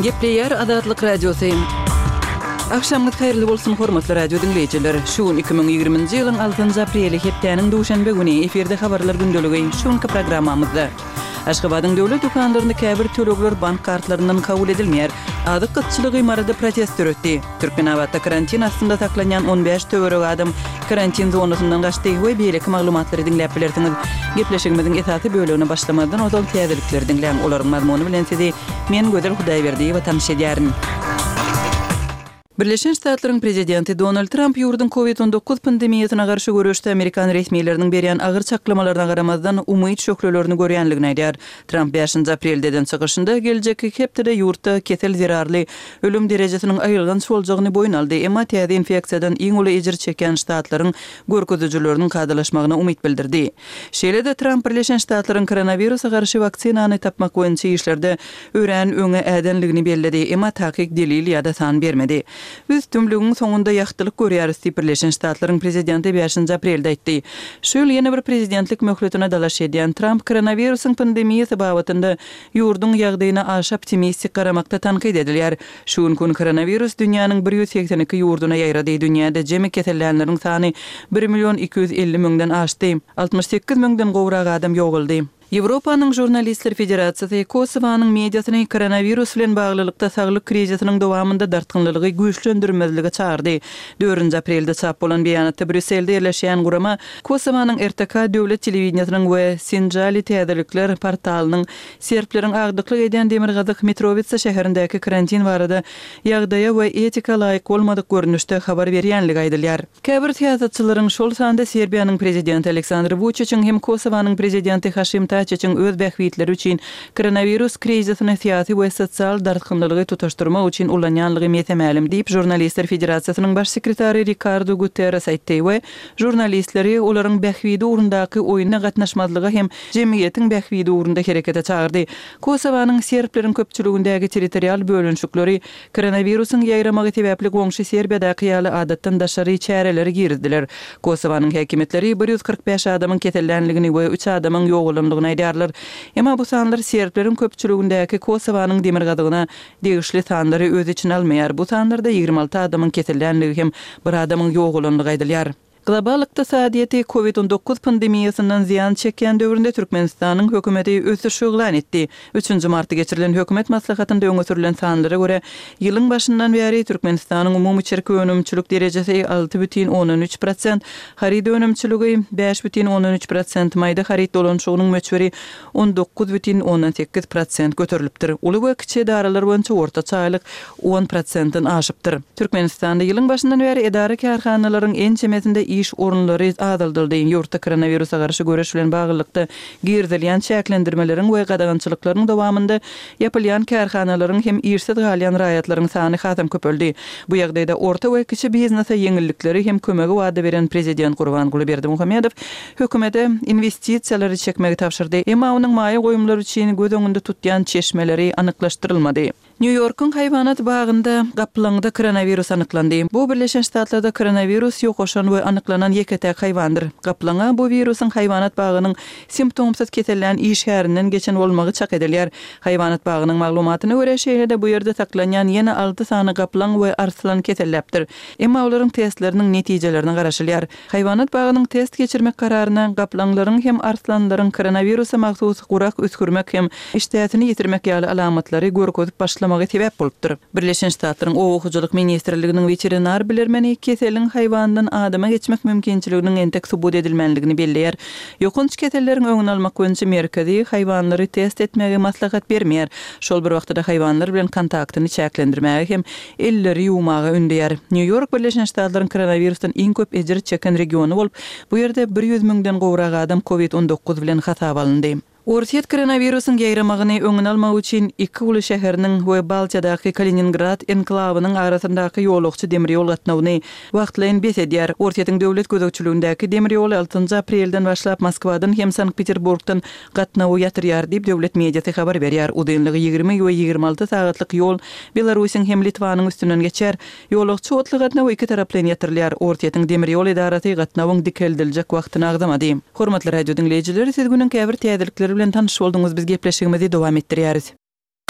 Gepleyer Adatlyk Radiosu. Akşamlyk hayrly bolsun hormatly radio dinleyijiler. Şu 2020-nji ýylyň 6 apreli hepdeniň duşanbe güni eferde habarlar gündöligi şuňky programmamyzda. Aşgabatyň döwlet dukanlaryny käbir tölegler bank kartlaryndan kabul edilmeýär. Adyk kıtçylyk imarada protest öretdi. Türkmenawatda karantin astynda saklanýan 15 töwerek adam karantin zonasyndan gaçdy we beýleki maglumatlary dinläp bilersiňiz. Gepleşigimiziň esasy bölügine başlamadan ozal täzelikleri dinläň. Olaryň mazmuny bilen sizi men Gözel Hudaýberdi we tanış edýärin. Birleşen Ştatlaryň prezidenti Donald Trump ýurdun COVID-19 pandemiýasyna garşy görüşde Amerikan resmiýetleriniň berýän agyr çaklamalardan garamazdan umyt şöklelerini görýänligini aýdýar. Trump 5 aprelden çykyşynda geljeki hepde ýurtda kesel zerarly ölüm derejesiniň aýylgan şoljagyny boyun aldy. Emma täze infeksiýadan iň uly ejir çeken ştatlaryň görkezüjileriniň kadrlaşmagyna umyt bildirdi. Şeýle-de Trump Birleşen Ştatlaryň koronawirusa garşy vaksinany tapmak boýunça işlerde örän öňe ädenligini bellädi. Emma takyk delil ýa-da san bermedi. Biz tümlüğün soňunda ýagtylyk görýäris diýip Birleşen Ştatlaryň prezidenti 5 aprelde aýtdy. Şol ýene bir prezidentlik möhletine dalaş edýän Trump koronawirusyň pandemiýasy babatynda ýurdun ýagdaýyna aşy optimistik garamakda tankyd edilýär. Şu gün koronawirus dünýäniň 182 ýurduna ýaýrady. Dünýäde jemi kesellenleriň sany 1.250.000-den aşdy. 68.000-den gowrak adam ýoguldy. Ýewropanyň Jurnalistler Federasiýasy Kosowanyň mediasyny koronavirus bilen baglylykda saglyk krizisiniň dowamında dartgynlygy güýçlendirmezligi çağırdy. 4 aprelde çap bolan beýanatda Brüsselde ýerleşýän gurama Kosowanyň RTK döwlet telewizionynyň we Sinjali täzelikler portalynyň serpleriň agdyklyk edýän Demirgazyk Mitrovica şäherindäki karantin barada ýagdaýa we etika laýyk bolmadyk görnüşde habar berýänligi aýdylýar. Käbir siýasatçylaryň şol sanda Serbiýanyň prezidenti Aleksandr Vučićiň hem Kosowanyň prezidenti Haşim Taçyň öz bähwitleri üçin koronavirus krizisini siýasy we sosial dartgynlygy tutaşdyrmak üçin ulanýanlygy mesemälim diýip Jurnalistler Federasiýasynyň baş sekretary Ricardo Guterres aýtdy we jurnalistleri olaryň bähwidi urundaky oýuna gatnaşmazlygy hem jemgyýetiň bähwidi urunda herekete çağırdy. Kosowanyň serpleriň köpçüligindägi territorial bölünşikleri koronavirusyň ýaýramagy sebäpli goňşy Serbiýadaky ýaly adatdan daşary çäreleri girdiler. Kosowanyň häkimetleri 145 adamyň kesellenligini we 3 adamyň ýogulandygyny aýdýarlar. Emma bu sanlar serpleriň köpçüligindäki Kosowanyň demirgadygyna degişli sanlary öz içine almaýar. Bu sanlarda 26 adamyň kesellänligi hem bir adamyň ýogulandygy aýdylýar. Global iqtisadiýety COVID-19 pandemiýasyndan ziýan çeken döwründe Türkmenistanyň hökümeti ösüş öňlen etdi. 3 martda geçirilen hökümet maslahatynda öňe sürülen sanlara görä ýylyň başyndan bäri Türkmenistanyň umumy çerki önümçilik derejesi 6,13%, harid önümçiligi 5,13%, maýda harid dolanşygynyň möçberi 19,18% göterilipdir. Uly we kiçi daralar boýunça ortaça aýlyk 10%-den aşypdyr. Türkmenistanda ýylyň başyndan bäri edara karhanalaryň en çemesinde iş orunları azaldyldy. Ýurtda koronawirusa garşy göreş bilen baglanykda girdilýän çäklendirmeleriň we gadagançylyklaryň dowamında ýapylýan karhanalaryň hem irsiz galýan raýatlaryň sany hasam köpeldi. Bu ýagdaýda orta we kiçi biznesa ýeňillikleri hem kömegi wada beren prezident Gurbanguly Berdimuhammedow hökümete investisiýalary çekmegi tapşyrdy. Emma onuň maýa goýumlary üçin göz öňünde tutýan çeşmeleri anyklaşdyrylmady. New York'un hayvanat bağında gaplanyňda koronavirus anyklandy. Bu Birleşen Ştatlarda koronavirus ýokaşan we anyklanan ýeketäk haýwandyr. Gaplana bu virusyň hayvanat bağınyň simptomsuz kesellän iş härinden geçen bolmagy çak edilýär. Hayvanat bağınyň maglumatyna görä şeýle-de bu ýerde saklanýan ýene 6 sany gaplan we arslan keselläpdir. Emma olaryň testläriniň netijelerini garaşylýar. Hayvanat bağınyň test geçirmek kararyna gaplanlaryň hem arslanlaryň koronavirusa magsus gurak öskürmek hem iştäsini ýitirmek ýaly alamatlary görkezip başlamagy sebäp bolupdyr. Birleşen Ştatlaryň Owakyjylyk ministrliginiň veterinar bilermeni keseliň haýwandan adama geçmek mümkinçiliginiň entek subut edilmenligini belleýär. Ýokunç keselleriň öňüni almak boýunça merkezi haýwanlary test etmege maslahat bermeýär. Şol bir wagtda haýwanlar bilen kontaktyny çäklendirmäge hem elleri ýuwmaga ündäýär. New York Birleşen Ştatlaryň koronavirusdan iň köp ejir çeken regiony bolup, bu ýerde 100.000-den gowrak adam COVID-19 bilen hasap alındy. Orsiýet koronavirusyň ýaýramagyny öňüne almak üçin iki uly şäheriniň we Baltiýadaky Kaliningrad enklawynyň arasyndaky ýolukçy demir ýol gatnawyny wagtlaýyn besedýär. Orsiýetiň döwlet gözegçiligindäki demir ýol 6 aprelden başlap Moskwadan hem Sankt-Peterburgdan gatnawy ýatyrýar diýip döwlet mediasy habar berýär. Udynlygy 20 we 26 sagatlyk ýol Belarusyň hem Litvanyň üstünden geçer. Ýolukçy otly gatnawy iki taraplan ýatyrylýar. Orsiýetiň demir ýol idarasy gatnawyň dikeldiriljek wagtyny agdamady. Hormatly radio dinleyijiler, siz günüň käbir täzelikleri bilen tanış boldunuz. Biz gepleşigimizi dowam etdirýäris.